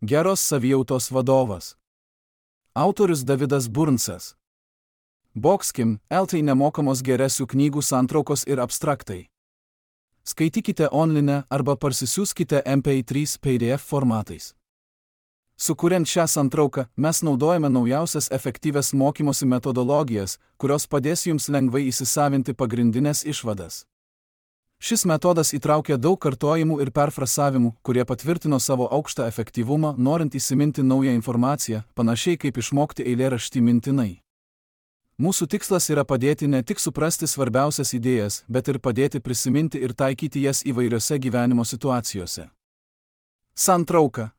Geros savijautos vadovas. Autorius Davidas Burnsas. Boxkim, LT nemokamos geresių knygų santraukos ir abstraktai. Skaitykite online arba parsisiųskite MP3 PDF formatais. Sukuriant šią santrauką, mes naudojame naujausias efektyvias mokymosi metodologijas, kurios padės jums lengvai įsisavinti pagrindinės išvadas. Šis metodas įtraukia daug kartojimų ir perfrasavimų, kurie patvirtino savo aukštą efektyvumą, norint įsiminti naują informaciją, panašiai kaip išmokti eilėraštį mintinai. Mūsų tikslas yra padėti ne tik suprasti svarbiausias idėjas, bet ir padėti prisiminti ir taikyti jas įvairiose gyvenimo situacijose. Santrauka.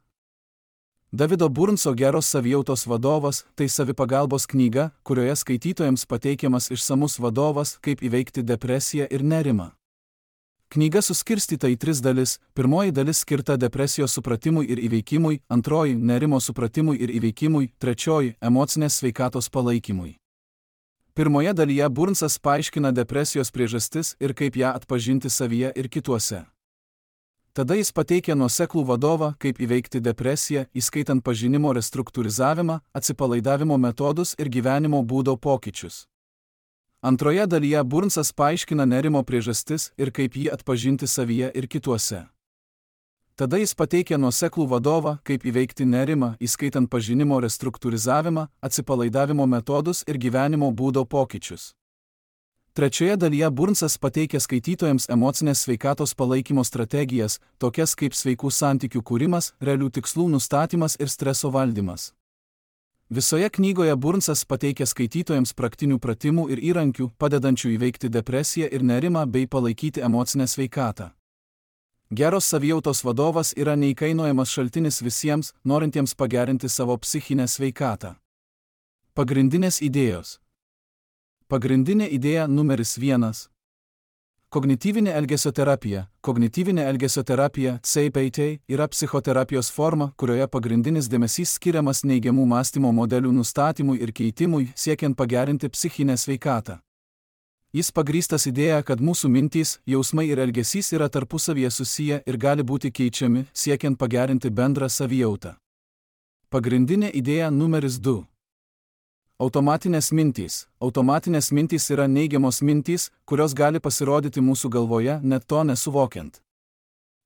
Davido Burnso Geros savijautos vadovas – tai savipagalbos knyga, kurioje skaitytojams pateikiamas išsamus vadovas, kaip įveikti depresiją ir nerimą. Knyga suskirstyta į 3 dalis. Pirmoji dalis skirta depresijos supratimui ir įveikimui, antroji – nerimo supratimui ir įveikimui, trečioji – emocinės sveikatos palaikymui. Pirmoje dalyje Burnsas paaiškina depresijos priežastis ir kaip ją atpažinti savyje ir kituose. Tada jis pateikia nuoseklų vadovą, kaip įveikti depresiją, įskaitant pažinimo restruktūrizavimą, atsipalaidavimo metodus ir gyvenimo būdo pokyčius. Antroje dalyje Burnsas paaiškina nerimo priežastis ir kaip jį atpažinti savyje ir kituose. Tada jis pateikia nuoseklų vadovą, kaip įveikti nerimą, įskaitant pažinimo restruktūrizavimą, atsipalaidavimo metodus ir gyvenimo būdo pokyčius. Trečioje dalyje Burnsas pateikia skaitytojams emocinės sveikatos palaikymo strategijas, tokias kaip sveikų santykių kūrimas, realių tikslų nustatymas ir streso valdymas. Visoje knygoje Burnsas pateikia skaitytojams praktinių pratimų ir įrankių, padedančių įveikti depresiją ir nerimą bei palaikyti emocinę sveikatą. Geros savijautos vadovas yra neįkainojamas šaltinis visiems, norintiems pagerinti savo psichinę sveikatą. Pagrindinės idėjos. Pagrindinė idėja numeris 1. Kognityvinė elgesio terapija. Kognityvinė elgesio terapija (CBT) yra psichoterapijos forma, kurioje pagrindinis dėmesys skiriamas neigiamų mąstymo modelių nustatymui ir keitimui, siekiant pagerinti psichinę sveikatą. Jis pagrįstas idėja, kad mūsų mintys, jausmai ir elgesys yra tarpusavyje susiję ir gali būti keičiami, siekiant pagerinti bendrą savijautą. Pagrindinė idėja numeris 2. Automatinės mintys. Automatinės mintys yra neigiamos mintys, kurios gali pasirodyti mūsų galvoje, net to nesuvokiant.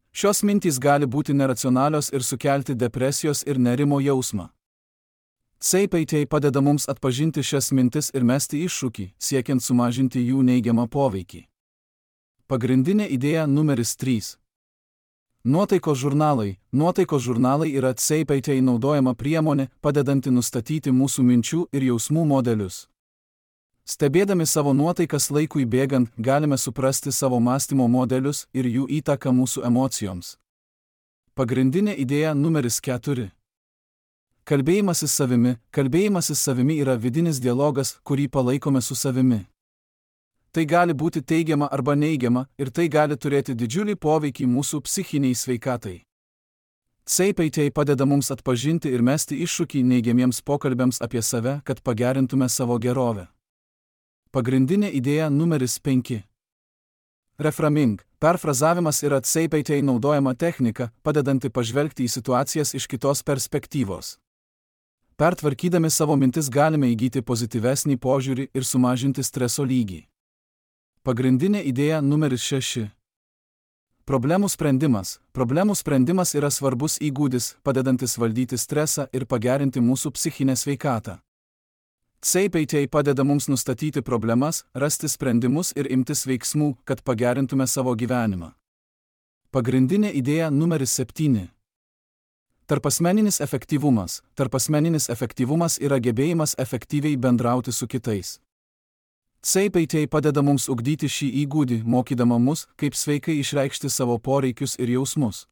Šios mintys gali būti neracionalios ir sukelti depresijos ir nerimo jausmą. CBT padeda mums atpažinti šias mintis ir mesti iššūkį, siekiant sumažinti jų neigiamą poveikį. Pagrindinė idėja numeris 3. Nuotaikos žurnalai. Nuotaikos žurnalai yra CBT naudojama priemonė, padedanti nustatyti mūsų minčių ir jausmų modelius. Stebėdami savo nuotaikas laikui bėgant, galime suprasti savo mąstymo modelius ir jų įtaką mūsų emocijoms. Pagrindinė idėja numeris 4. Kalbėjimasis savimi. Kalbėjimasis savimi yra vidinis dialogas, kurį palaikome su savimi. Tai gali būti teigiama arba neigiama ir tai gali turėti didžiulį poveikį mūsų psichiniai sveikatai. CBT padeda mums atpažinti ir mesti iššūkį neigiamiems pokalbiams apie save, kad pagerintume savo gerovę. Pagrindinė idėja numeris 5. Reframing. Perfrazavimas yra CBT naudojama technika, padedanti pažvelgti į situacijas iš kitos perspektyvos. Pertvarkydami savo mintis galime įgyti pozityvesnį požiūrį ir sumažinti streso lygį. Pagrindinė idėja numeris 6. Problemų sprendimas. Problemų sprendimas yra svarbus įgūdis, padedantis valdyti stresą ir pagerinti mūsų psichinę sveikatą. CBT padeda mums nustatyti problemas, rasti sprendimus ir imtis veiksmų, kad pagerintume savo gyvenimą. Pagrindinė idėja numeris 7. Tarpasmeninis efektyvumas. Tarpasmeninis efektyvumas yra gebėjimas efektyviai bendrauti su kitais. CBT padeda mums ugdyti šį įgūdį, mokydama mus, kaip sveikai išreikšti savo poreikius ir jausmus.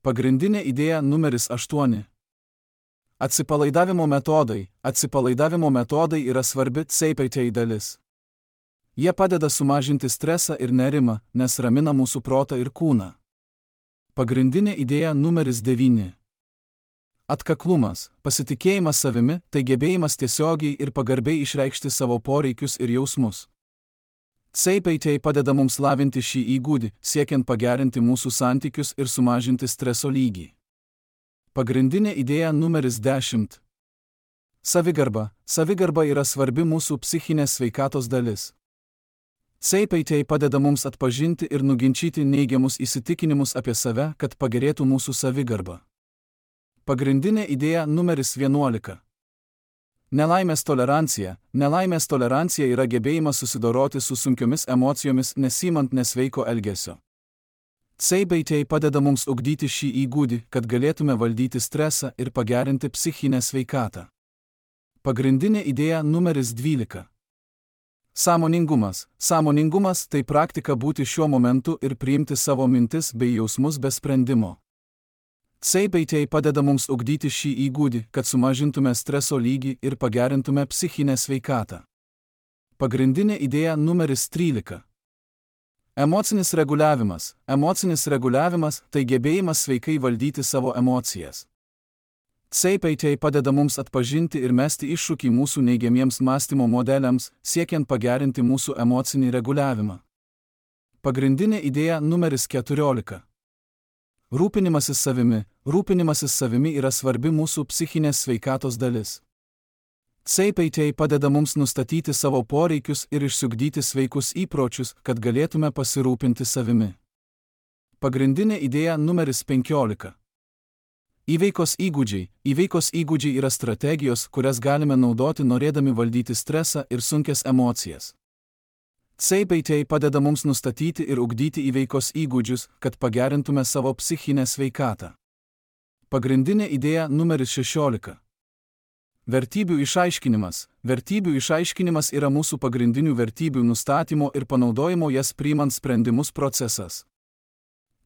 Pagrindinė idėja numeris 8. Atsipalaidavimo metodai. Atsipalaidavimo metodai yra svarbi CBT dalis. Jie padeda sumažinti stresą ir nerimą, nes ramina mūsų protą ir kūną. Pagrindinė idėja numeris 9. Atkaklumas. Pasitikėjimas savimi – tai gebėjimas tiesiogiai ir pagarbiai išreikšti savo poreikius ir jausmus. CBT padeda mums lavinti šį įgūdį, siekiant pagerinti mūsų santykius ir sumažinti streso lygį. Pagrindinė idėja numeris 10. Savigarba. Savigarba yra svarbi mūsų psichinės sveikatos dalis. CPT padeda mums atpažinti ir nuginčyti neigiamus įsitikinimus apie save, kad pagerėtų mūsų savigarba. Pagrindinė idėja numeris 11. Nelaimės tolerancija. Nelaimės tolerancija yra gebėjimas susidoroti su sunkiomis emocijomis nesimant nesveiko elgesio. CPT padeda mums ugdyti šį įgūdį, kad galėtume valdyti stresą ir pagerinti psichinę sveikatą. Pagrindinė idėja numeris 12. Sąmoningumas. Sąmoningumas tai praktika būti šiuo momentu ir priimti savo mintis bei jausmus be sprendimo. CPT padeda mums ugdyti šį įgūdį, kad sumažintume streso lygį ir pagerintume psichinę sveikatą. Pagrindinė idėja numeris 13. Emocinis reguliavimas. Emocinis reguliavimas tai gebėjimas sveikai valdyti savo emocijas. CPT padeda mums atpažinti ir mesti iššūkį mūsų neigiamiems mąstymo modeliams, siekiant pagerinti mūsų emocinį reguliavimą. Pagrindinė idėja numeris 14. Rūpinimasis savimi. Rūpinimasis savimi yra svarbi mūsų psichinės sveikatos dalis. CPT padeda mums nustatyti savo poreikius ir išsiugdyti sveikus įpročius, kad galėtume pasirūpinti savimi. Pagrindinė idėja numeris 15. Įveikos įgūdžiai. Įveikos įgūdžiai yra strategijos, kurias galime naudoti norėdami valdyti stresą ir sunkias emocijas. CPT padeda mums nustatyti ir ugdyti įveikos įgūdžius, kad pagerintume savo psichinę sveikatą. Pagrindinė idėja numeris 16. Vertybių išaiškinimas. Vertybių išaiškinimas yra mūsų pagrindinių vertybių nustatymo ir panaudojimo jas priimant sprendimus procesas.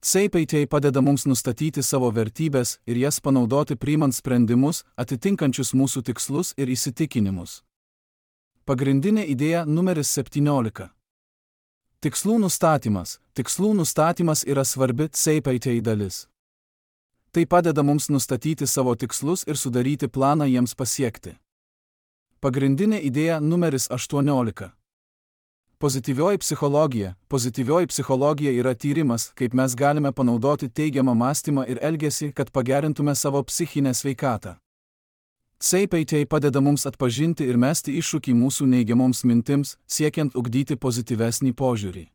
CPT padeda mums nustatyti savo vertybės ir jas panaudoti priimant sprendimus, atitinkančius mūsų tikslus ir įsitikinimus. Pagrindinė idėja numeris 17. Tikslų nustatymas. Tikslų nustatymas yra svarbi CPT dalis. Tai padeda mums nustatyti savo tikslus ir sudaryti planą jiems pasiekti. Pagrindinė idėja numeris 18. Pozityvioji psichologija. Pozityvioji psichologija yra tyrimas, kaip mes galime panaudoti teigiamą mąstymą ir elgesį, kad pagerintume savo psichinę sveikatą. CPT padeda mums atpažinti ir mesti iššūkį mūsų neigiamoms mintims, siekiant ugdyti pozityvesnį požiūrį.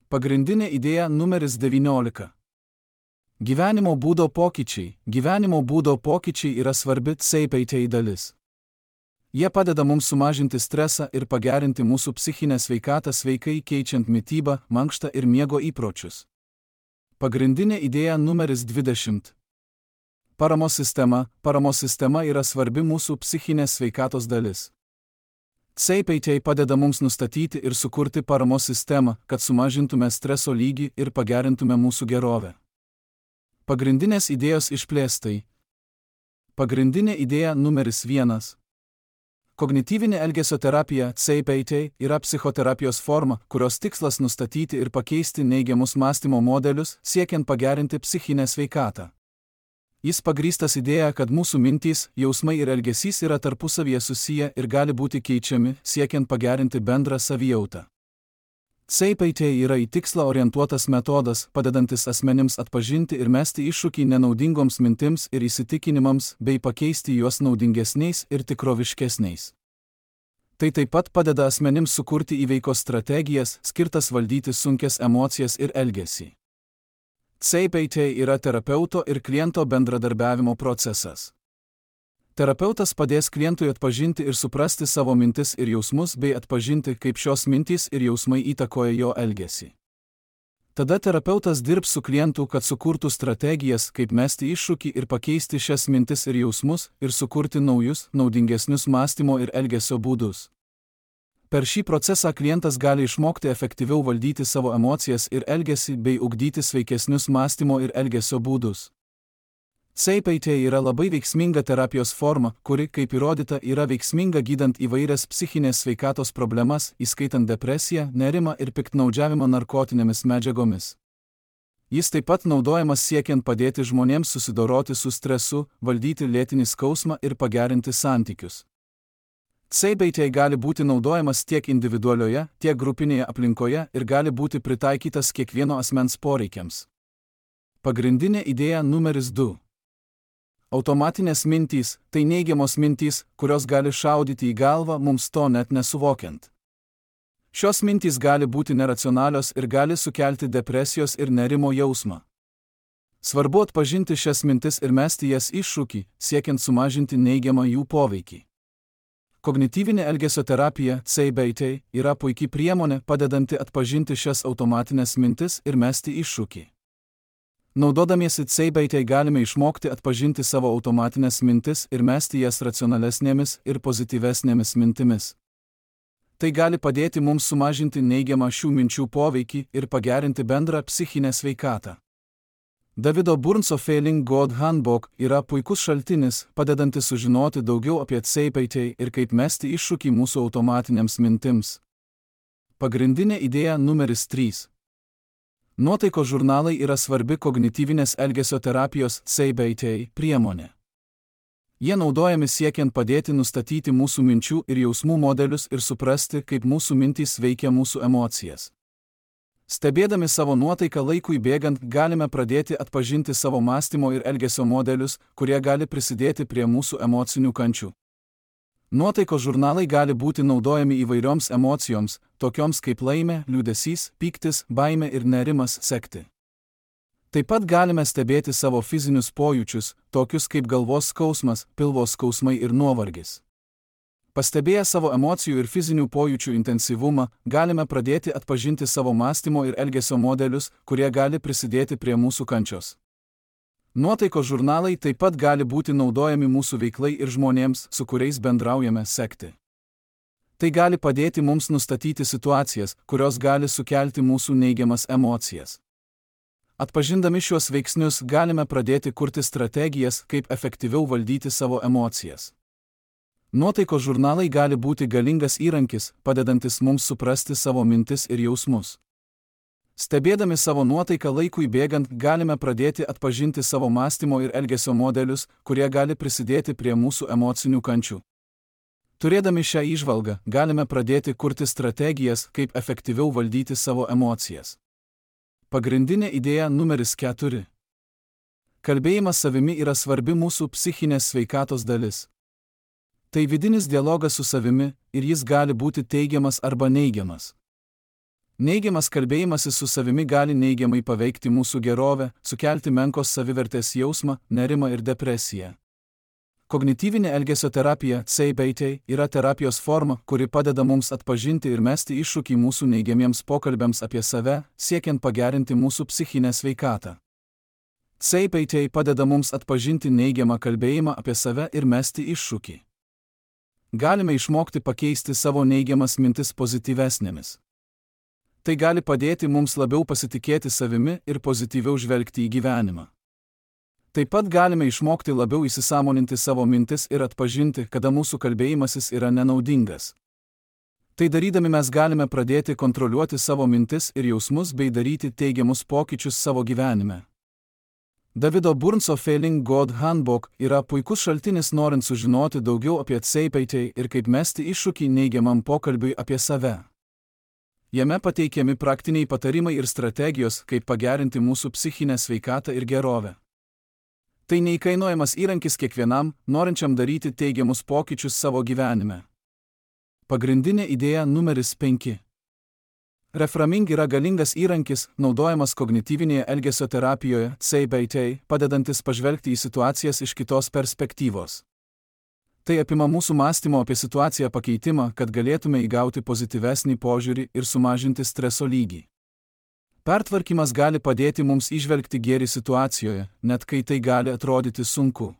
Pagrindinė idėja numeris 19. Gyvenimo būdo pokyčiai. Gyvenimo būdo pokyčiai yra svarbi CPT dalis. Jie padeda mums sumažinti stresą ir pagerinti mūsų psichinę sveikatą sveikai keičiant mitybą, mankštą ir miego įpročius. Pagrindinė idėja numeris 20. Paramos sistema. Paramos sistema yra svarbi mūsų psichinės sveikatos dalis. CPT padeda mums nustatyti ir sukurti paramos sistemą, kad sumažintume streso lygį ir pagerintume mūsų gerovę. Pagrindinės idėjos išplėstai. Pagrindinė idėja numeris 1. Kognityvinė elgesio terapija CPT yra psichoterapijos forma, kurios tikslas nustatyti ir pakeisti neigiamus mąstymo modelius, siekiant pagerinti psichinę sveikatą. Jis pagrįstas idėja, kad mūsų mintys, jausmai ir elgesys yra tarpusavyje susiję ir gali būti keičiami, siekiant pagerinti bendrą savijautą. CPT yra į tikslą orientuotas metodas, padedantis asmenims atpažinti ir mesti iššūkį nenaudingoms mintims ir įsitikinimams, bei pakeisti juos naudingesniais ir tikroviškesniais. Tai taip pat padeda asmenims sukurti įveikos strategijas, skirtas valdyti sunkias emocijas ir elgesį. CPT yra terapeuto ir kliento bendradarbiavimo procesas. Terapeutas padės klientui atpažinti ir suprasti savo mintis ir jausmus bei atpažinti, kaip šios mintys ir jausmai įtakoja jo elgesį. Tada terapeutas dirbs su klientu, kad sukurtų strategijas, kaip mesti iššūkį ir pakeisti šias mintis ir jausmus ir sukurti naujus, naudingesnius mąstymo ir elgesio būdus. Per šį procesą klientas gali išmokti efektyviau valdyti savo emocijas ir elgesį bei ugdyti sveikesnius mąstymo ir elgesio būdus. CPT yra labai veiksminga terapijos forma, kuri, kaip įrodyta, yra veiksminga gydant įvairias psichinės sveikatos problemas, įskaitant depresiją, nerimą ir piktnaudžiavimą narkotinėmis medžiagomis. Jis taip pat naudojamas siekiant padėti žmonėms susidoroti su stresu, valdyti lėtinį skausmą ir pagerinti santykius. CPT gali būti naudojamas tiek individualioje, tiek grupinėje aplinkoje ir gali būti pritaikytas kiekvieno asmens poreikiams. Pagrindinė idėja numeris 2. Automatinės mintys – tai neigiamos mintys, kurios gali šaudyti į galvą mums to net nesuvokiant. Šios mintys gali būti neracionalios ir gali sukelti depresijos ir nerimo jausmą. Svarbu atpažinti šias mintis ir mesti jas iššūkį, siekiant sumažinti neigiamą jų poveikį. Kognityvinė elgesio terapija CBT yra puikiai priemonė padedanti atpažinti šias automatinės mintis ir mesti iššūkį. Naudodamiesi CBT galime išmokti atpažinti savo automatinės mintis ir mesti jas racionalesnėmis ir pozityvesnėmis mintimis. Tai gali padėti mums sumažinti neigiamą šių minčių poveikį ir pagerinti bendrą psichinę sveikatą. Davido Burnso Failing God Handbook yra puikus šaltinis, padedantis sužinoti daugiau apie CBT ir kaip mesti iššūkį mūsų automatinėms mintims. Pagrindinė idėja numeris 3. Nuotaikos žurnalai yra svarbi kognityvinės elgesio terapijos CBT priemonė. Jie naudojami siekiant padėti nustatyti mūsų minčių ir jausmų modelius ir suprasti, kaip mūsų mintys veikia mūsų emocijas. Stebėdami savo nuotaiką laikui bėgant galime pradėti atpažinti savo mąstymo ir elgesio modelius, kurie gali prisidėti prie mūsų emocinių kančių. Nuotaikos žurnalai gali būti naudojami įvairioms emocijoms, tokioms kaip laimė, liūdesys, pyktis, baimė ir nerimas sekti. Taip pat galime stebėti savo fizinius pojūčius, tokius kaip galvos skausmas, pilvo skausmai ir nuovargis. Pastebėję savo emocijų ir fizinių pojūčių intensyvumą, galime pradėti atpažinti savo mąstymo ir elgesio modelius, kurie gali prisidėti prie mūsų kančios. Nuotaikos žurnalai taip pat gali būti naudojami mūsų veiklai ir žmonėms, su kuriais bendraujame, sekti. Tai gali padėti mums nustatyti situacijas, kurios gali sukelti mūsų neigiamas emocijas. Atpažindami šiuos veiksnius galime pradėti kurti strategijas, kaip efektyviau valdyti savo emocijas. Nuotaikos žurnalai gali būti galingas įrankis, padedantis mums suprasti savo mintis ir jausmus. Stebėdami savo nuotaiką laikui bėgant galime pradėti atpažinti savo mąstymo ir elgesio modelius, kurie gali prisidėti prie mūsų emocinių kančių. Turėdami šią įžvalgą, galime pradėti kurti strategijas, kaip efektyviau valdyti savo emocijas. Pagrindinė idėja numeris 4. Kalbėjimas savimi yra svarbi mūsų psichinės sveikatos dalis. Tai vidinis dialogas su savimi ir jis gali būti teigiamas arba neigiamas. Neigiamas kalbėjimasis su savimi gali neigiamai paveikti mūsų gerovę, sukelti menkos savivertės jausmą, nerimą ir depresiją. Kognityvinė elgesio terapija CBT yra terapijos forma, kuri padeda mums atpažinti ir mesti iššūkį mūsų neigiamiems pokalbiams apie save, siekiant pagerinti mūsų psichinę sveikatą. CBT padeda mums atpažinti neigiamą kalbėjimą apie save ir mesti iššūkį. Galime išmokti pakeisti savo neigiamas mintis pozityvesnėmis. Tai gali padėti mums labiau pasitikėti savimi ir pozityviau žvelgti į gyvenimą. Taip pat galime išmokti labiau įsisąmoninti savo mintis ir atpažinti, kada mūsų kalbėjimasis yra nenaudingas. Tai darydami mes galime pradėti kontroliuoti savo mintis ir jausmus bei daryti teigiamus pokyčius savo gyvenime. Davido Burnso Failing God Handbook yra puikus šaltinis norint sužinoti daugiau apie CBT ir kaip mesti iššūkį neigiamam pokalbiui apie save. Jame pateikiami praktiniai patarimai ir strategijos, kaip pagerinti mūsų psichinę sveikatą ir gerovę. Tai neįkainojamas įrankis kiekvienam, norinčiam daryti teigiamus pokyčius savo gyvenime. Pagrindinė idėja numeris 5. Reframing yra galingas įrankis, naudojamas kognityvinėje elgesio terapijoje CBT, padedantis pažvelgti į situacijas iš kitos perspektyvos. Tai apima mūsų mąstymo apie situaciją pakeitimą, kad galėtume įgauti pozityvesnį požiūrį ir sumažinti streso lygį. Pertvarkymas gali padėti mums įžvelgti gėrį situacijoje, net kai tai gali atrodyti sunku.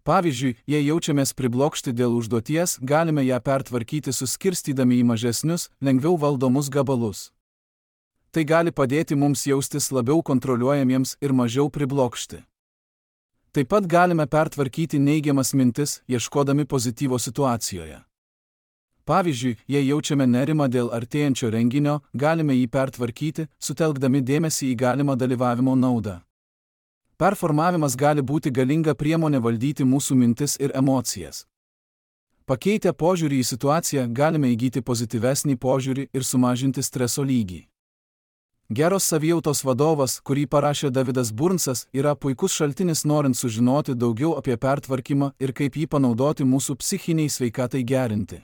Pavyzdžiui, jei jaučiamės priblokšti dėl užduoties, galime ją pertvarkyti suskirstydami į mažesnius, lengviau valdomus gabalus. Tai gali padėti mums jaustis labiau kontroliuojamiems ir mažiau priblokšti. Taip pat galime pertvarkyti neigiamas mintis, ieškodami pozityvo situacijoje. Pavyzdžiui, jei jaučiame nerimą dėl artėjančio renginio, galime jį pertvarkyti, sutelkdami dėmesį į galimą dalyvavimo naudą. Performavimas gali būti galinga priemonė valdyti mūsų mintis ir emocijas. Pakeitę požiūrį į situaciją galime įgyti pozityvesnį požiūrį ir sumažinti streso lygį. Geros savijautos vadovas, kurį parašė Davidas Burnsas, yra puikus šaltinis norint sužinoti daugiau apie pertvarkymą ir kaip jį panaudoti mūsų psichiniai sveikatai gerinti.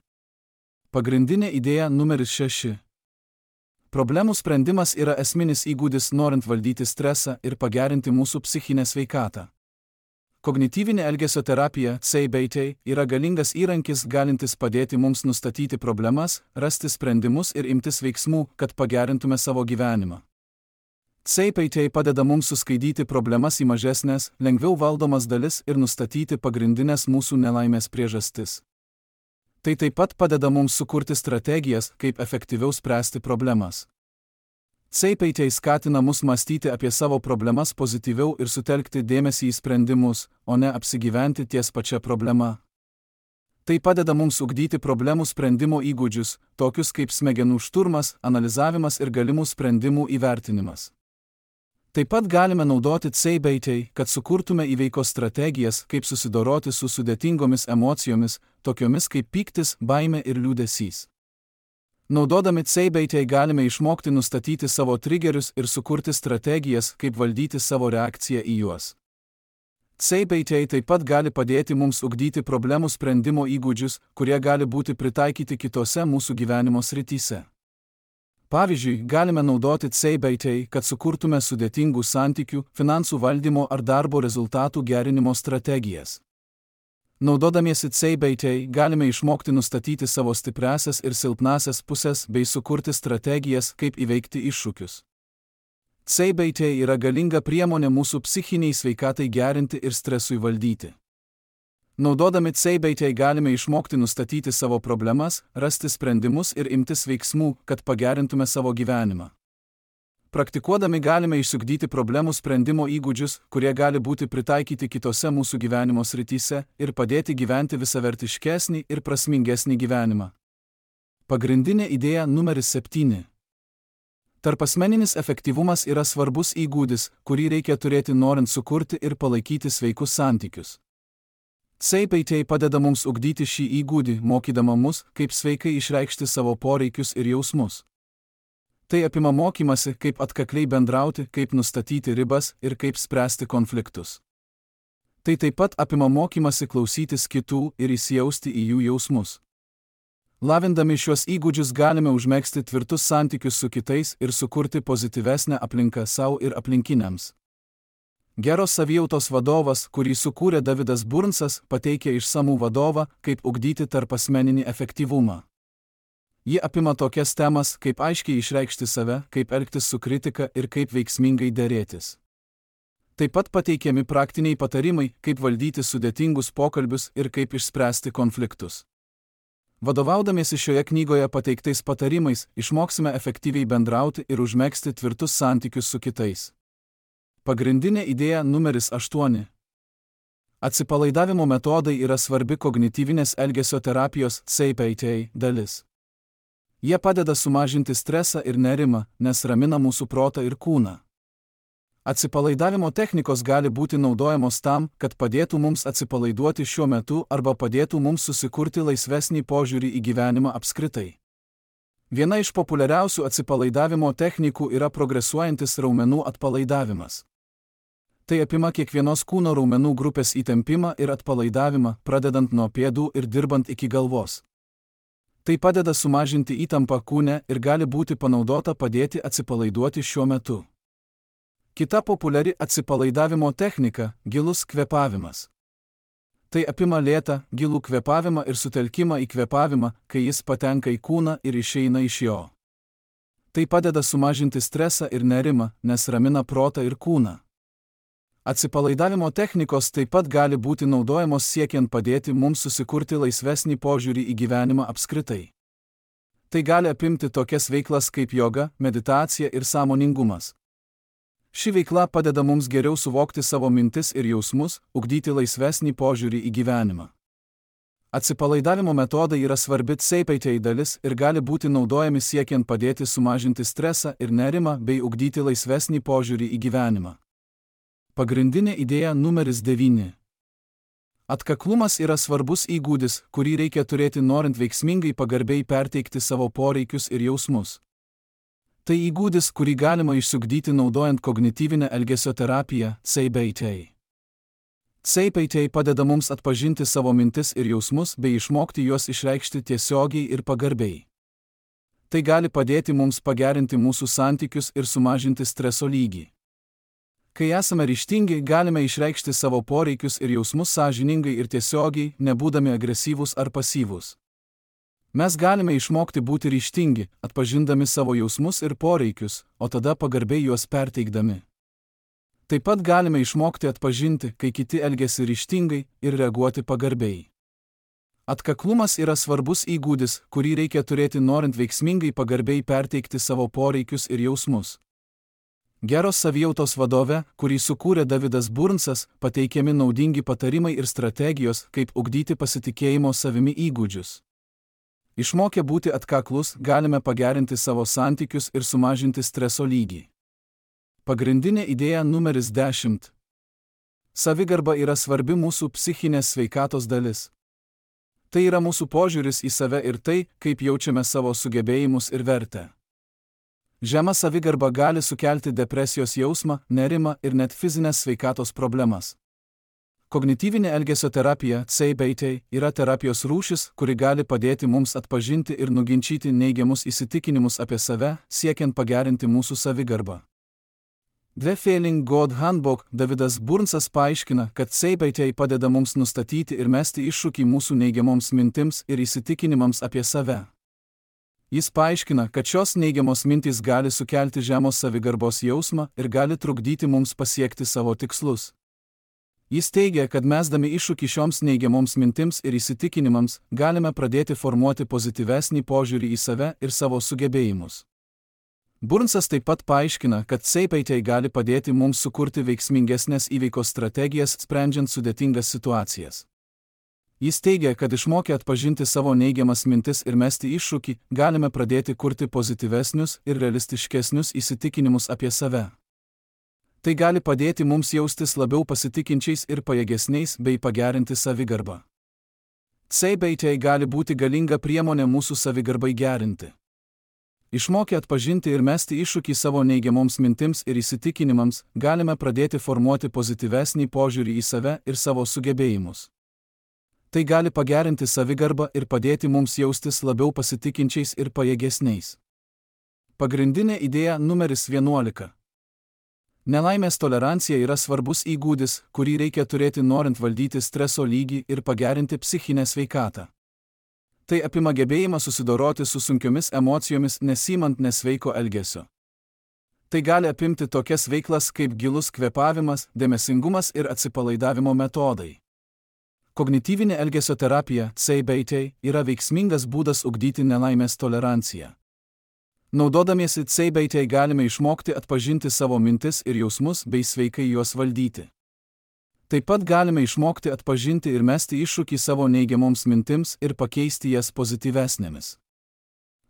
Pagrindinė idėja numeris 6. Problemų sprendimas yra esminis įgūdis norint valdyti stresą ir pagerinti mūsų psichinę sveikatą. Kognityvinė elgesio terapija, CBT, yra galingas įrankis galintis padėti mums nustatyti problemas, rasti sprendimus ir imtis veiksmų, kad pagerintume savo gyvenimą. CBT padeda mums suskaidyti problemas į mažesnės, lengviau valdomas dalis ir nustatyti pagrindinės mūsų nelaimės priežastis. Tai taip pat padeda mums sukurti strategijas, kaip efektyviau spręsti problemas. CBT skatina mus mąstyti apie savo problemas pozityviau ir sutelkti dėmesį į sprendimus, o ne apsigyventi ties pačia problema. Tai padeda mums ugdyti problemų sprendimo įgūdžius, tokius kaip smegenų šturmas, analizavimas ir galimų sprendimų įvertinimas. Taip pat galime naudoti CBT, kad sukurtume įveikos strategijas, kaip susidoroti su sudėtingomis emocijomis, tokiomis kaip pyktis, baimė ir liūdesys. Naudodami CBT galime išmokti nustatyti savo trigerius ir sukurti strategijas, kaip valdyti savo reakciją į juos. CBT taip pat gali padėti mums ugdyti problemų sprendimo įgūdžius, kurie gali būti pritaikyti kitose mūsų gyvenimo srityse. Pavyzdžiui, galime naudoti CBT, kad sukurtume sudėtingų santykių, finansų valdymo ar darbo rezultatų gerinimo strategijas. Naudodamiesi CBT galime išmokti nustatyti savo stipriąsias ir silpnąsias pusės bei sukurti strategijas, kaip įveikti iššūkius. CBT yra galinga priemonė mūsų psichiniai sveikatai gerinti ir stresui valdyti. Naudodami CBT galime išmokti nustatyti savo problemas, rasti sprendimus ir imtis veiksmų, kad pagerintume savo gyvenimą. Praktikuodami galime išsiugdyti problemų sprendimo įgūdžius, kurie gali būti pritaikyti kitose mūsų gyvenimo srityse ir padėti gyventi visavertiškesnį ir prasmingesnį gyvenimą. Pagrindinė idėja numeris 7. Tarpasmeninis efektyvumas yra svarbus įgūdis, kurį reikia turėti norint sukurti ir palaikyti sveikus santykius. CBT padeda mums ugdyti šį įgūdį, mokydama mus, kaip sveikai išreikšti savo poreikius ir jausmus. Tai apima mokymasi, kaip atkakliai bendrauti, kaip nustatyti ribas ir kaip spręsti konfliktus. Tai taip pat apima mokymasi klausytis kitų ir įsijausti į jų jausmus. Lavindami šios įgūdžius galime užmegzti tvirtus santykius su kitais ir sukurti pozityvesnę aplinką savo ir aplinkiniams. Geros savijautos vadovas, kurį sukūrė Davidas Burnsas, pateikia išsamų vadovą, kaip ugdyti tarpasmeninį efektyvumą. Ji apima tokias temas, kaip aiškiai išreikšti save, kaip elgtis su kritika ir kaip veiksmingai derėtis. Taip pat pateikiami praktiniai patarimai, kaip valdyti sudėtingus pokalbius ir kaip išspręsti konfliktus. Vadovaudamiesi šioje knygoje pateiktais patarimais, išmoksime efektyviai bendrauti ir užmegzti tvirtus santykius su kitais. Pagrindinė idėja numeris 8. Atsipalaidavimo metodai yra svarbi kognityvinės elgesio terapijos CBT dalis. Jie padeda sumažinti stresą ir nerimą, nes ramina mūsų protą ir kūną. Atsipalaidavimo technikos gali būti naudojamos tam, kad padėtų mums atsipalaiduoti šiuo metu arba padėtų mums susikurti laisvesnį požiūrį į gyvenimą apskritai. Viena iš populiariausių atsipalaidavimo technikų yra progresuojantis raumenų atpalaidavimas. Tai apima kiekvienos kūno raumenų grupės įtempimą ir atpalaidavimą, pradedant nuo pėdų ir dirbant iki galvos. Tai padeda sumažinti įtampą kūne ir gali būti panaudota padėti atsipalaiduoti šiuo metu. Kita populiari atsipalaidavimo technika – gilus kvėpavimas. Tai apima lėtą, gilų kvėpavimą ir sutelkimą į kvėpavimą, kai jis patenka į kūną ir išeina iš jo. Tai padeda sumažinti stresą ir nerimą, nes ramina protą ir kūną. Atsipalaidavimo technikos taip pat gali būti naudojamos siekiant padėti mums susikurti laisvesnį požiūrį į gyvenimą apskritai. Tai gali apimti tokias veiklas kaip joga, meditacija ir sąmoningumas. Ši veikla padeda mums geriau suvokti savo mintis ir jausmus, ugdyti laisvesnį požiūrį į gyvenimą. Atsipalaidavimo metodai yra svarbi CBT dalis ir gali būti naudojami siekiant padėti sumažinti stresą ir nerimą bei ugdyti laisvesnį požiūrį į gyvenimą. Pagrindinė idėja numeris 9. Atkaklumas yra svarbus įgūdis, kurį reikia turėti norint veiksmingai pagarbiai perteikti savo poreikius ir jausmus. Tai įgūdis, kurį galima išsiugdyti naudojant kognityvinę elgesio terapiją CBT. CBT padeda mums atpažinti savo mintis ir jausmus bei išmokti juos išreikšti tiesiogiai ir pagarbiai. Tai gali padėti mums pagerinti mūsų santykius ir sumažinti streso lygį. Kai esame ryžtingi, galime išreikšti savo poreikius ir jausmus sąžiningai ir tiesiogiai, nebūdami agresyvūs ar pasyvūs. Mes galime išmokti būti ryžtingi, atpažindami savo jausmus ir poreikius, o tada pagarbiai juos perteikdami. Taip pat galime išmokti atpažinti, kai kiti elgiasi ryžtingai ir reaguoti pagarbiai. Atkaklumas yra svarbus įgūdis, kurį reikia turėti norint veiksmingai pagarbiai perteikti savo poreikius ir jausmus. Geros savijautos vadove, kurį sukūrė Davidas Burnsas, pateikiami naudingi patarimai ir strategijos, kaip ugdyti pasitikėjimo savimi įgūdžius. Išmokę būti atkaklus, galime pagerinti savo santykius ir sumažinti streso lygį. Pagrindinė idėja numeris 10. Savigarba yra svarbi mūsų psichinės sveikatos dalis. Tai yra mūsų požiūris į save ir tai, kaip jaučiame savo sugebėjimus ir vertę. Žema savigarba gali sukelti depresijos jausmą, nerimą ir net fizinės sveikatos problemas. Kognityvinė elgesio terapija CBT yra terapijos rūšis, kuri gali padėti mums atpažinti ir nuginčyti neigiamus įsitikinimus apie save, siekiant pagerinti mūsų savigarbą. The Failing God Handbook Davidas Burnsas paaiškina, kad CBT padeda mums nustatyti ir mesti iššūkį mūsų neigiamoms mintims ir įsitikinimams apie save. Jis paaiškina, kad šios neigiamos mintys gali sukelti žemos savigarbos jausmą ir gali trukdyti mums pasiekti savo tikslus. Jis teigia, kad mesdami iššūkį šioms neigiamoms mintims ir įsitikinimams, galime pradėti formuoti pozityvesnį požiūrį į save ir savo sugebėjimus. Burnsas taip pat paaiškina, kad CBT gali padėti mums sukurti veiksmingesnės įveikos strategijas, sprendžiant sudėtingas situacijas. Jis teigia, kad išmokę atpažinti savo neigiamas mintis ir mesti iššūkį, galime pradėti kurti pozityvesnius ir realistiškesnius įsitikinimus apie save. Tai gali padėti mums jaustis labiau pasitikinčiais ir pajėgesniais bei pagerinti savigarbą. CBT gali būti galinga priemonė mūsų savigarbai gerinti. Išmokę atpažinti ir mesti iššūkį savo neigiamoms mintims ir įsitikinimams, galime pradėti formuoti pozityvesnį požiūrį į save ir savo sugebėjimus. Tai gali pagerinti savigarbą ir padėti mums jaustis labiau pasitikinčiais ir pajėgesniais. Pagrindinė idėja numeris 11. Nelaimės tolerancija yra svarbus įgūdis, kurį reikia turėti norint valdyti streso lygį ir pagerinti psichinę sveikatą. Tai apima gebėjimą susidoroti su sunkiomis emocijomis nesimant nesveiko elgesio. Tai gali apimti tokias veiklas kaip gilus kvėpavimas, dėmesingumas ir atsipalaidavimo metodai. Kognityvinė elgesio terapija CBT yra veiksmingas būdas ugdyti nelaimės toleranciją. Naudodamiesi CBT galime išmokti atpažinti savo mintis ir jausmus bei sveikai juos valdyti. Taip pat galime išmokti atpažinti ir mesti iššūkį savo neigiamoms mintims ir pakeisti jas pozityvesnėmis.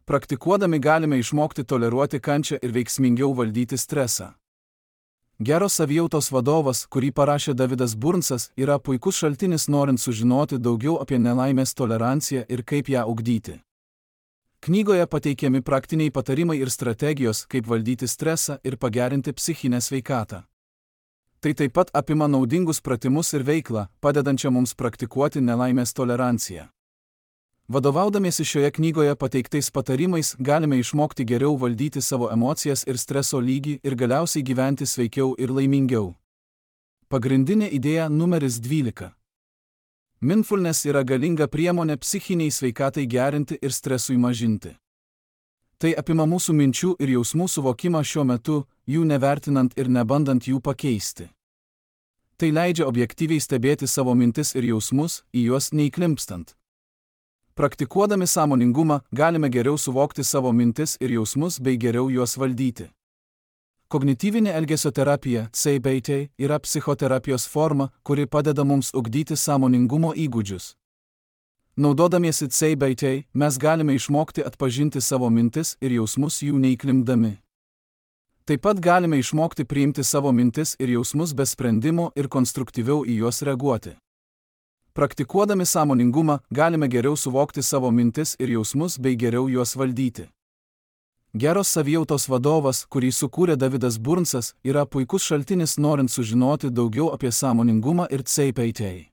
Praktikuodami galime išmokti toleruoti kančią ir veiksmingiau valdyti stresą. Geros savijautos vadovas, kurį parašė Davidas Burnsas, yra puikus šaltinis norint sužinoti daugiau apie nelaimės toleranciją ir kaip ją ugdyti. Knygoje pateikiami praktiniai patarimai ir strategijos, kaip valdyti stresą ir pagerinti psichinę sveikatą. Tai taip pat apima naudingus pratimus ir veiklą, padedančią mums praktikuoti nelaimės toleranciją. Vadovaudamiesi šioje knygoje pateiktais patarimais, galime išmokti geriau valdyti savo emocijas ir streso lygį ir galiausiai gyventi sveikiau ir laimingiau. Pagrindinė idėja numeris 12. Mindfulness yra galinga priemonė psichiniai sveikatai gerinti ir stresui mažinti. Tai apima mūsų minčių ir jausmų suvokimą šiuo metu, jų nevertinant ir nebandant jų pakeisti. Tai leidžia objektyviai stebėti savo mintis ir jausmus, į juos neįklimpstant. Praktikuodami sąmoningumą, galime geriau suvokti savo mintis ir jausmus bei geriau juos valdyti. Kognityvinė elgesio terapija CBT yra psichoterapijos forma, kuri padeda mums ugdyti sąmoningumo įgūdžius. Naudodamiesi CBT, mes galime išmokti atpažinti savo mintis ir jausmus jų neįklimpdami. Taip pat galime išmokti priimti savo mintis ir jausmus be sprendimo ir konstruktyviau į juos reaguoti. Praktikuodami sąmoningumą, galime geriau suvokti savo mintis ir jausmus bei geriau juos valdyti. Geros savijautos vadovas, kurį sukūrė Davidas Burnsas, yra puikus šaltinis norint sužinoti daugiau apie sąmoningumą ir CPT.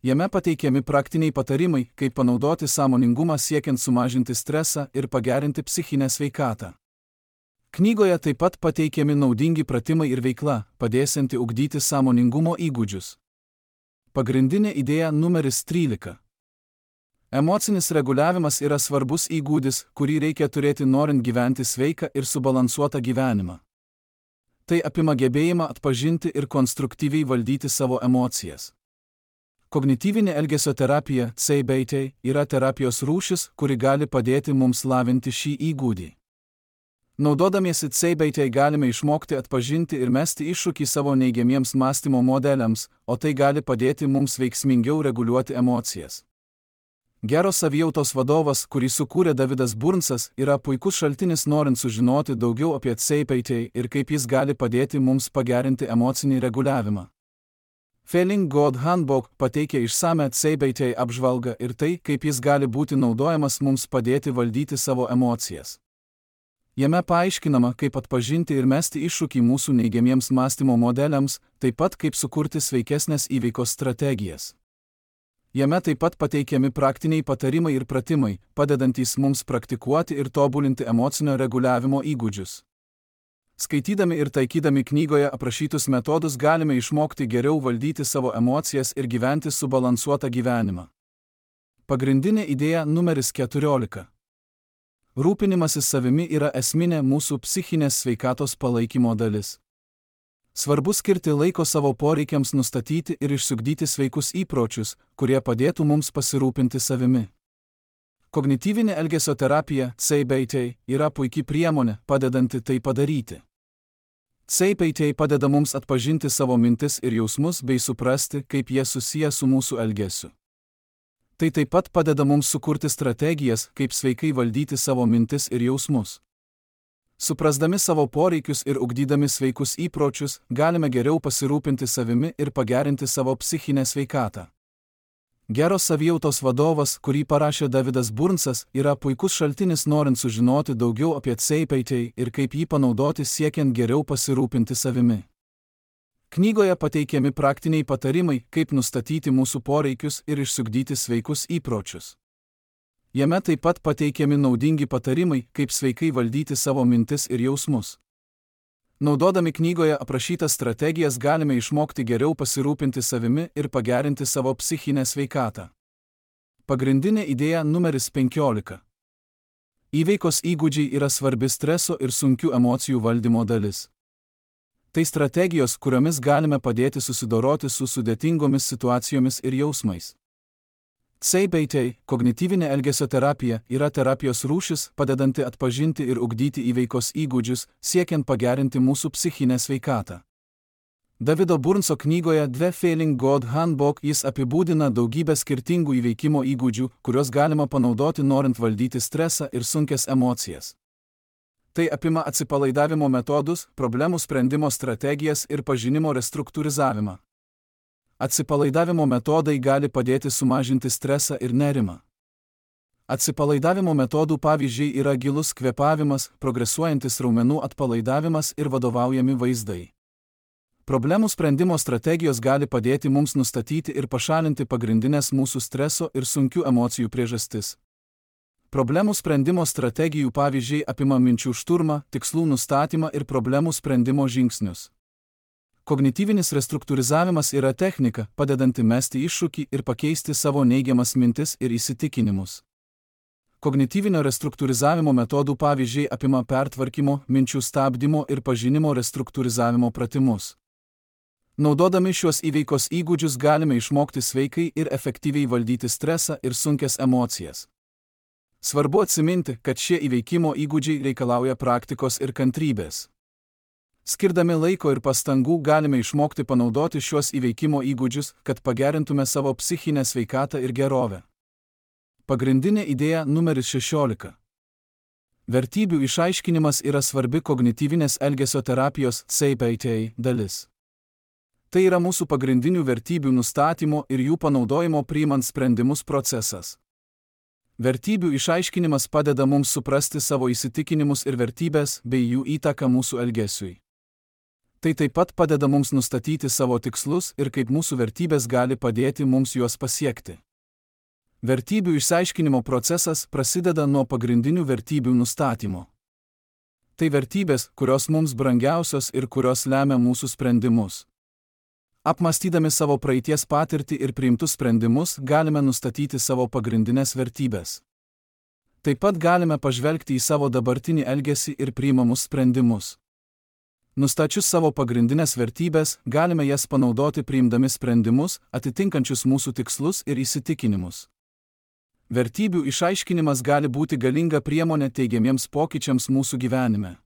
Jame pateikiami praktiniai patarimai, kaip panaudoti sąmoningumą siekiant sumažinti stresą ir pagerinti psichinę sveikatą. Knygoje taip pat pateikiami naudingi pratimai ir veikla, padėsianti ugdyti sąmoningumo įgūdžius. Pagrindinė idėja numeris 13. Emocinis reguliavimas yra svarbus įgūdis, kurį reikia turėti norint gyventi sveiką ir subalansuotą gyvenimą. Tai apima gebėjimą atpažinti ir konstruktyviai valdyti savo emocijas. Kognityvinė elgesio terapija, CBT, yra terapijos rūšis, kuri gali padėti mums lavinti šį įgūdį. Naudodamiesi CBT galime išmokti atpažinti ir mesti iššūkį savo neigiamiems mąstymo modeliams, o tai gali padėti mums veiksmingiau reguliuoti emocijas. Geros savijautos vadovas, kurį sukūrė Davidas Burnsas, yra puikus šaltinis norint sužinoti daugiau apie CBT ir kaip jis gali padėti mums pagerinti emocinį reguliavimą. Feeling Good Handbook pateikia išsame CBT apžvalgą ir tai, kaip jis gali būti naudojamas mums padėti valdyti savo emocijas. Jame paaiškinama, kaip atpažinti ir mesti iššūkį mūsų neigiamiems mąstymo modeliams, taip pat kaip sukurti sveikesnės įveikos strategijas. Jame taip pat pateikiami praktiniai patarimai ir pratimai, padedantys mums praktikuoti ir tobulinti emocinio reguliavimo įgūdžius. Skaitydami ir taikydami knygoje aprašytus metodus galime išmokti geriau valdyti savo emocijas ir gyventi subalansuotą gyvenimą. Pagrindinė idėja numeris 14. Rūpinimasis savimi yra esminė mūsų psichinės sveikatos palaikymo dalis. Svarbu skirti laiko savo poreikiams nustatyti ir išsiugdyti sveikus įpročius, kurie padėtų mums pasirūpinti savimi. Kognityvinė elgesio terapija, CBT, yra puikia priemonė, padedanti tai padaryti. CBT padeda mums atpažinti savo mintis ir jausmus bei suprasti, kaip jie susiję su mūsų elgesiu. Tai taip pat padeda mums sukurti strategijas, kaip sveikai valdyti savo mintis ir jausmus. Suprasdami savo poreikius ir ugdydami sveikus įpročius, galime geriau pasirūpinti savimi ir pagerinti savo psichinę sveikatą. Geros savijautos vadovas, kurį parašė Davidas Burnsas, yra puikus šaltinis norint sužinoti daugiau apie CBT ir kaip jį panaudoti siekiant geriau pasirūpinti savimi. Knygoje pateikiami praktiniai patarimai, kaip nustatyti mūsų poreikius ir išsiugdyti sveikus įpročius. Jame taip pat pateikiami naudingi patarimai, kaip sveikai valdyti savo mintis ir jausmus. Naudodami knygoje aprašytas strategijas galime išmokti geriau pasirūpinti savimi ir pagerinti savo psichinę sveikatą. Pagrindinė idėja numeris 15. Įveikos įgūdžiai yra svarbi streso ir sunkių emocijų valdymo dalis. Tai strategijos, kuriomis galime padėti susidoroti su sudėtingomis situacijomis ir jausmais. CBT, kognityvinė elgesio terapija, yra terapijos rūšis, padedanti atpažinti ir ugdyti įveikos įgūdžius, siekiant pagerinti mūsų psichinę sveikatą. Davido Burnso knygoje The Feeling Good Handbook jis apibūdina daugybę skirtingų įveikimo įgūdžių, kuriuos galima panaudoti norint valdyti stresą ir sunkias emocijas. Tai apima atsipalaidavimo metodus, problemų sprendimo strategijas ir pažinimo restruktūrizavimą. Atsipalaidavimo metodai gali padėti sumažinti stresą ir nerimą. Atsipalaidavimo metodų pavyzdžiai yra gilus kvėpavimas, progresuojantis raumenų atpalaidavimas ir vadovaujami vaizdai. Problemų sprendimo strategijos gali padėti mums nustatyti ir pašalinti pagrindinės mūsų streso ir sunkių emocijų priežastis. Problemų sprendimo strategijų pavyzdžiai apima minčių šturmą, tikslų nustatymą ir problemų sprendimo žingsnius. Kognityvinis restruktūrizavimas yra technika, padedanti mesti iššūkį ir pakeisti savo neigiamas mintis ir įsitikinimus. Kognityvinio restruktūrizavimo metodų pavyzdžiai apima pertvarkymo, minčių stabdymo ir pažinimo restruktūrizavimo pratimus. Naudodami šiuos įveikos įgūdžius galime išmokti sveikai ir efektyviai valdyti stresą ir sunkias emocijas. Svarbu atsiminti, kad šie įveikimo įgūdžiai reikalauja praktikos ir kantrybės. Skirdami laiko ir pastangų galime išmokti panaudoti šiuos įveikimo įgūdžius, kad pagerintume savo psichinę sveikatą ir gerovę. Pagrindinė idėja numeris 16. Vertybių išaiškinimas yra svarbi kognityvinės elgesio terapijos CBT dalis. Tai yra mūsų pagrindinių vertybių nustatymo ir jų panaudojimo priimant sprendimus procesas. Vertybių išaiškinimas padeda mums suprasti savo įsitikinimus ir vertybės bei jų įtaką mūsų elgesiui. Tai taip pat padeda mums nustatyti savo tikslus ir kaip mūsų vertybės gali padėti mums juos pasiekti. Vertybių išsiaiškinimo procesas prasideda nuo pagrindinių vertybių nustatymo. Tai vertybės, kurios mums brangiausios ir kurios lemia mūsų sprendimus. Apmąstydami savo praeities patirtį ir priimtus sprendimus, galime nustatyti savo pagrindinės vertybės. Taip pat galime pažvelgti į savo dabartinį elgesį ir priimamus sprendimus. Nustačius savo pagrindinės vertybės, galime jas panaudoti priimdami sprendimus, atitinkančius mūsų tikslus ir įsitikinimus. Vertybių išaiškinimas gali būti galinga priemonė teigiamiems pokyčiams mūsų gyvenime.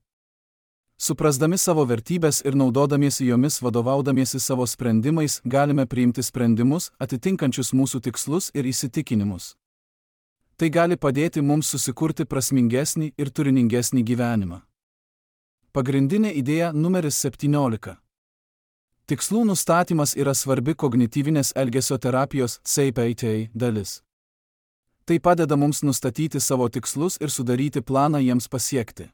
Suprasdami savo vertybės ir naudodamiesi jomis vadovaudamiesi savo sprendimais, galime priimti sprendimus, atitinkančius mūsų tikslus ir įsitikinimus. Tai gali padėti mums susikurti prasmingesnį ir turiningesnį gyvenimą. Pagrindinė idėja numeris 17. Tikslų nustatymas yra svarbi kognityvinės elgesio terapijos CBT dalis. Tai padeda mums nustatyti savo tikslus ir sudaryti planą jiems pasiekti.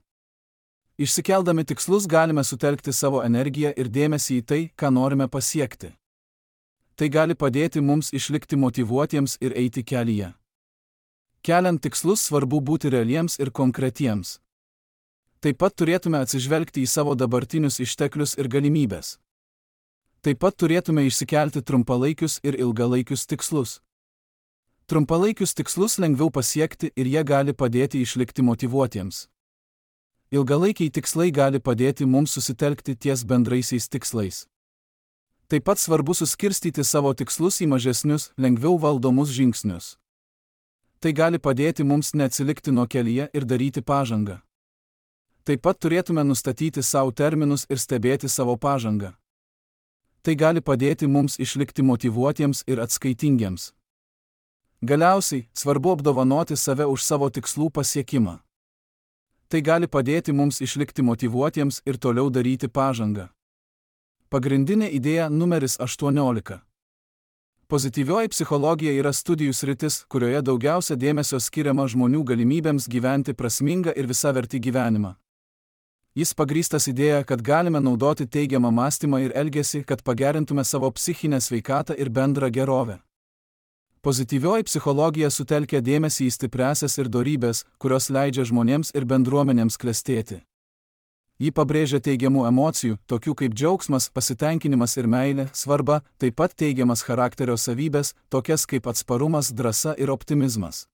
Išsikeldami tikslus galime sutelkti savo energiją ir dėmesį į tai, ką norime pasiekti. Tai gali padėti mums išlikti motyvuotiems ir eiti kelyje. Keliant tikslus svarbu būti realiems ir konkretiems. Taip pat turėtume atsižvelgti į savo dabartinius išteklius ir galimybės. Taip pat turėtume išsikelti trumpalaikius ir ilgalaikius tikslus. Trumpalaikius tikslus lengviau pasiekti ir jie gali padėti išlikti motyvuotiems. Ilgalaikiai tikslai gali padėti mums susitelkti ties bendraisiais tikslais. Taip pat svarbu suskirstyti savo tikslus į mažesnius, lengviau valdomus žingsnius. Tai gali padėti mums neatsilikti nuo kelyje ir daryti pažangą. Taip pat turėtume nustatyti savo terminus ir stebėti savo pažangą. Tai gali padėti mums išlikti motyvuotiems ir atskaitingiems. Galiausiai, svarbu apdovanoti save už savo tikslų pasiekimą. Tai gali padėti mums išlikti motyvuotiems ir toliau daryti pažangą. Pagrindinė idėja numeris 18. Pozityvioji psichologija yra studijų sritis, kurioje daugiausia dėmesio skiriama žmonių galimybėms gyventi prasmingą ir visavertį gyvenimą. Jis pagrįstas idėja, kad galime naudoti teigiamą mąstymą ir elgesį, kad pagerintume savo psichinę sveikatą ir bendrą gerovę. Pozityvioji psichologija sutelkia dėmesį į stipriąsias ir dorybės, kurios leidžia žmonėms ir bendruomenėms klestėti. Ji pabrėžia teigiamų emocijų, tokių kaip džiaugsmas, pasitenkinimas ir meilė, svarbą, taip pat teigiamas charakterio savybės, tokias kaip atsparumas, drąsa ir optimizmas.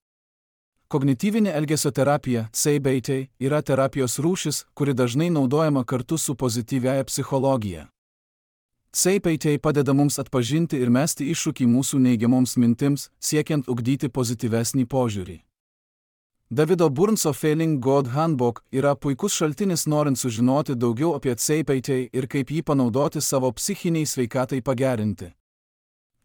Kognityvinė elgesio terapija, CBT, yra terapijos rūšis, kuri dažnai naudojama kartu su pozityviaja psichologija. CBT padeda mums atpažinti ir mesti iššūkį mūsų neigiamoms mintims, siekiant ugdyti pozityvesnį požiūrį. Davido Burnso Failing God Handbook yra puikus šaltinis norint sužinoti daugiau apie CBT ir kaip jį panaudoti savo psichiniai sveikatai pagerinti.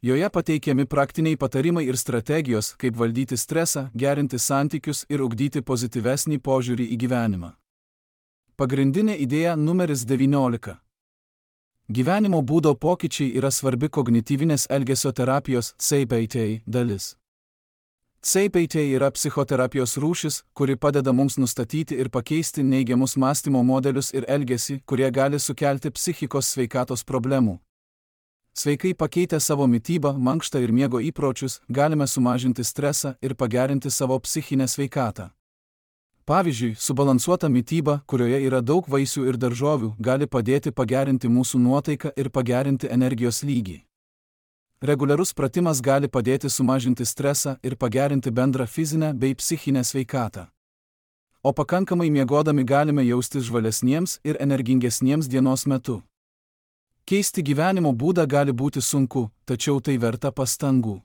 Joje pateikiami praktiniai patarimai ir strategijos, kaip valdyti stresą, gerinti santykius ir ugdyti pozityvesnį požiūrį į gyvenimą. Pagrindinė idėja numeris 19. Gyvenimo būdo pokyčiai yra svarbi kognityvinės elgesio terapijos CBT dalis. CBT yra psichoterapijos rūšis, kuri padeda mums nustatyti ir pakeisti neigiamus mąstymo modelius ir elgesį, kurie gali sukelti psichikos sveikatos problemų. Sveikai pakeitę savo mitybą, mankštą ir miego įpročius, galime sumažinti stresą ir pagerinti savo psichinę sveikatą. Pavyzdžiui, subalansuota mityba, kurioje yra daug vaisių ir daržovių, gali padėti pagerinti mūsų nuotaiką ir pagerinti energijos lygį. Reguliarus pratimas gali padėti sumažinti stresą ir pagerinti bendrą fizinę bei psichinę sveikatą. O pakankamai miegodami galime jaustis žvalesniems ir energingesniems dienos metu. Keisti gyvenimo būdą gali būti sunku, tačiau tai verta pastangų.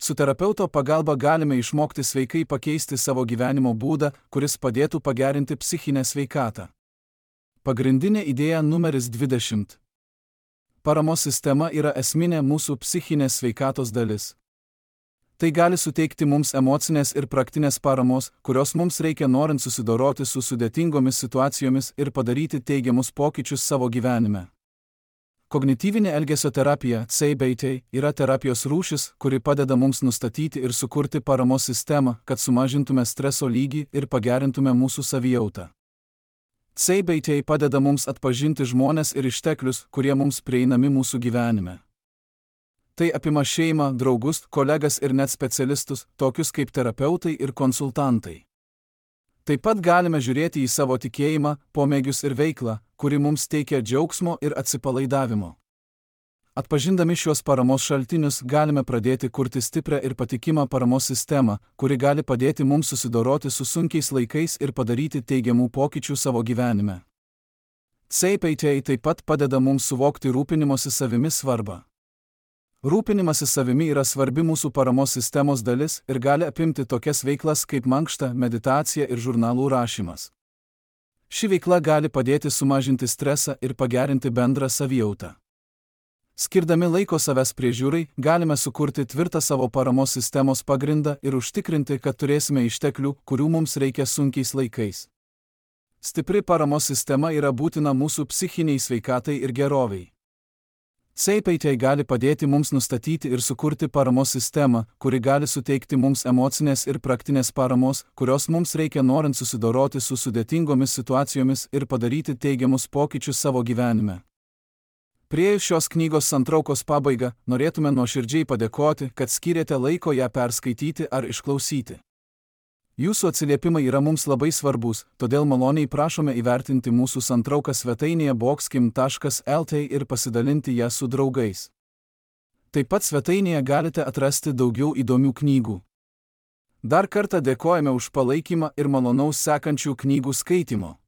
Su terapeuto pagalba galime išmokti sveikai pakeisti savo gyvenimo būdą, kuris padėtų pagerinti psichinę sveikatą. Pagrindinė idėja numeris 20. Paramos sistema yra esminė mūsų psichinės sveikatos dalis. Tai gali suteikti mums emocinės ir praktinės paramos, kurios mums reikia norint susidoroti su sudėtingomis situacijomis ir padaryti teigiamus pokyčius savo gyvenime. Kognityvinė elgesio terapija (CBT) yra terapijos rūšis, kuri padeda mums nustatyti ir sukurti paramos sistemą, kad sumažintume streso lygį ir pagerintume mūsų savijautą. CBT padeda mums atpažinti žmones ir išteklius, kurie mums prieinami mūsų gyvenime. Tai apima šeimą, draugus, kolegas ir net specialistus, tokius kaip terapeutai ir konsultantai. Taip pat galime žiūrėti į savo tikėjimą, pomėgius ir veiklą, kuri mums teikia džiaugsmo ir atsipalaidavimo. Atpažindami šios paramos šaltinius galime pradėti kurti stiprią ir patikimą paramos sistemą, kuri gali padėti mums susidoroti su sunkiais laikais ir padaryti teigiamų pokyčių savo gyvenime. CBT taip pat padeda mums suvokti rūpinimosi savimi svarbą. Rūpinimasis savimi yra svarbi mūsų paramos sistemos dalis ir gali apimti tokias veiklas kaip mankšta, meditacija ir žurnalų rašymas. Ši veikla gali padėti sumažinti stresą ir pagerinti bendrą savijautą. Skirdami laiko savęs priežiūrai, galime sukurti tvirtą savo paramos sistemos pagrindą ir užtikrinti, kad turėsime išteklių, kurių mums reikia sunkiais laikais. Stipri paramos sistema yra būtina mūsų psichiniai sveikatai ir geroviai. CBT gali padėti mums nustatyti ir sukurti paramos sistemą, kuri gali suteikti mums emocinės ir praktinės paramos, kurios mums reikia norint susidoroti su sudėtingomis situacijomis ir padaryti teigiamus pokyčius savo gyvenime. Priėjus šios knygos santraukos pabaigą, norėtume nuoširdžiai padėkoti, kad skyrėte laiko ją perskaityti ar išklausyti. Jūsų atsiliepimai yra mums labai svarbus, todėl maloniai prašome įvertinti mūsų santrauką svetainėje boxkim.lt ir pasidalinti ją su draugais. Taip pat svetainėje galite atrasti daugiau įdomių knygų. Dar kartą dėkojame už palaikymą ir malonaus sekančių knygų skaitimo.